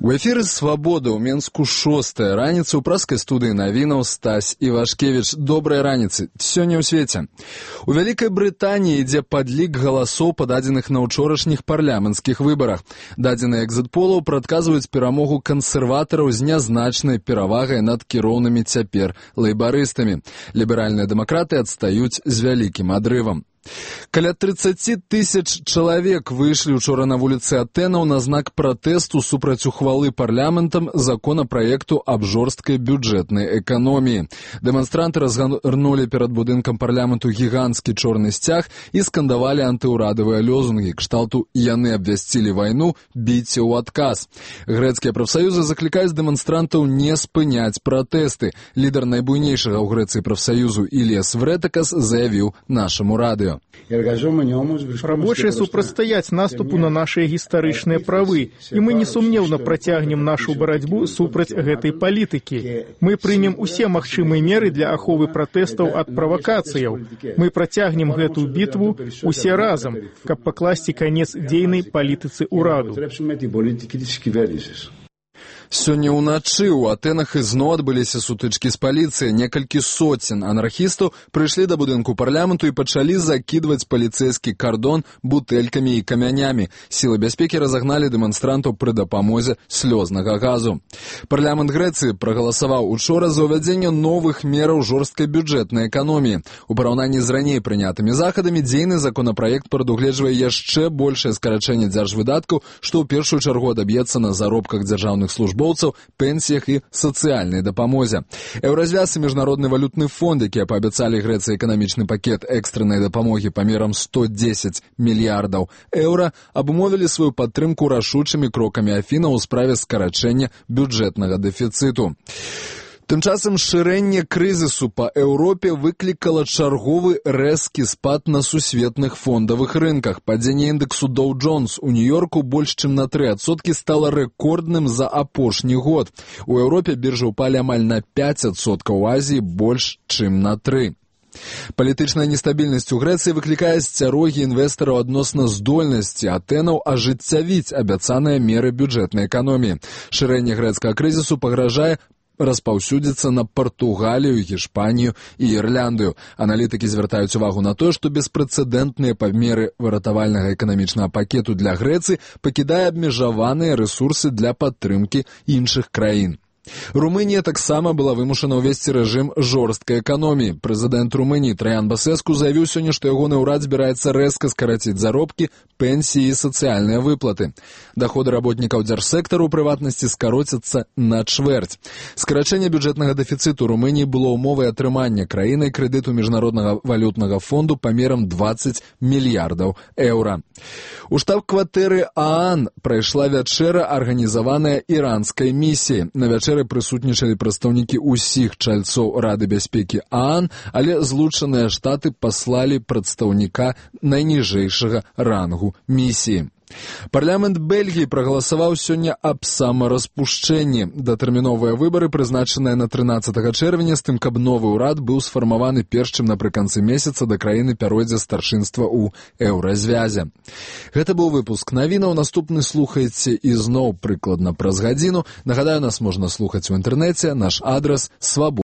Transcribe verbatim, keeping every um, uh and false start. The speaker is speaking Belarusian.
У эфіры «Свабода» ў Менску шостая раніца ў праскай студыі навінаў Стась Івашкевіч. Добрай раніцы. Сёння ў свеце. У Вялікай Брытаніі ідзе падлік галасоў, пададзеных на ўчорашніх парламенцкіх выбарах. Дадзеныя экзіт-полаў прадказваюць перамогу кансерватараў з нязначнай перавагай над кіроўнымі цяпер лейбарыстамі. Ліберальныя дэмакраты адстаюць з вялікім адрывам. Каля тридцать тысяч чалавек выйшлі учора на вуліцы Атэнаў на знак пратэсту супраць ухвалы парламентам законапраекту аб жорсткай бюджэтнай эканоміі. Дэманстранты разгарнулі перад будынкам парламенту гіганцкі чорны сцяг і скандавалі антыўрадавыя лозунгі кшталту «Яны абвясцілі вайну, біце ў адказ». Грэцкія прафсаюзы заклікаюць дэманстрантаў не спыняць пратэсты. Лідар найбуйнейшага ў Грэцыі прафсаюзу Іліас Врэтакас заявіў нашаму радыё. Рабочие супрацьстаяць наступу на нашыя гістарычныя правы, і мы несумнеўна працягнем нашу барацьбу супраць гэтай палітыкі. Мы прымем усе магчымыя меры для аховы пратэстаў ад правакацыяў. Мы працягнем гэтую бітву усе разам, каб пакласці канец дзейнай палітыцы ўраду. Сёння ўначы ў Атэнах ізноў адбыліся сутычкі з паліцыяй. Некалькі соцень анархістаў прыйшлі да будынку парламенту і пачалі закідваць паліцэйскі кардон бутэлькамі і камянямі. Сілы бяспекі разагналі дэманстрантаў пры дапамозе слёзнага газу. Парламент Грэцыі прагаласаваў учора за ўвядзенне новых мераў жорсткай бюджэтнай эканоміі. У параўнанні з раней прынятымі захадамі дзейны законапраект прадугледжвае яшчэ большае скарачэнне дзяржвыдаткаў, што ў першую чаргу адаб'ецца на заробках дзяржаўных служб, пенсіях і сацыяльнай дапамозе. Еўразвяз і Міжнародны валютны фонд, якія паабяцалі Грэцыі эканамічны пакет экстрэннай дапамогі памерам сто дзесяць мільярдаў еўра, абумовілі сваю падтрымку рашучымі крокамі Афіна ў справе скарачэння бюджэтнага дэфіцыту. Тым часам шырэнне крызісу па Еўропе выклікала чарговы рэзкі спад на сусветных фондавых рынках. Падзенне індексу Dow Jones у Нью-Йорку больш чым на тры адсоткі стала рэкордным за апошні год. У Еўропе біржы ўпалі амаль на пяць адсоткаў, у Азіі больш чым на тры. Палітычная нестабільнасць у Грэцыі выклікае сцярогі інвестараў адносна здольнасці Атэнаў ажыццявіць абяцаныя меры бюджэтнай эканоміі. Шырэнне грэцкага крызісу пагражае распаўсюдзіцца на Партугалію, Гішпанію і Ірляндыю. Аналітыкі звяртаюць увагу на тое, што беспрэцэдэнтныя памеры выратавальнага эканамічнага пакету для Грэцыі пакідае абмежаваныя рэсурсы для падтрымкі іншых краін. Румынія таксама была вымушана ўвесці рэжым жорсткай эканоміі. Прэзідэнт Румыніі Траян Басэску заявіў сёння, што ягоны ўрад збіраецца рэзка скараціць заробкі, пенсіі і сацыяльныя выплаты. Даходы работнікаў дзяржсектару ў прыватнасці скароцяцца на чвэрць. Скарачэнне бюджэтнага дэфіцыту Румыніі было ўмовай атрымання краінай крэдыту Міжнароднага валютнага фонду памерам дваццаць мільярдаў еўра. У штаб-кватэры ААН прайшла вячэра, арганізаваная іранскай місіяй. На вячэры прысутнічалі прадстаўнікі ўсіх чальцоў Рады бяспекі ААН, але Злучаныя Штаты паслалі прадстаўніка найніжэйшага рангу місіі. Парламент Бельгіі прагаласаваў сёння аб самараспушчэнні. Датэрміновыя выбары прызначаныя на трынаццатага чэрвеня, з тым, каб новы ўрад быў сфармаваны перш чым напрыканцы месяца да краіны пяройдзе старшынства ў еўразвязе. Гэта быў выпуск навінаў. Наступны слухайце ізноў прыкладна праз гадзіну. Нагадаю, нас можна слухаць у інтэрнэце. Наш адрас свабода.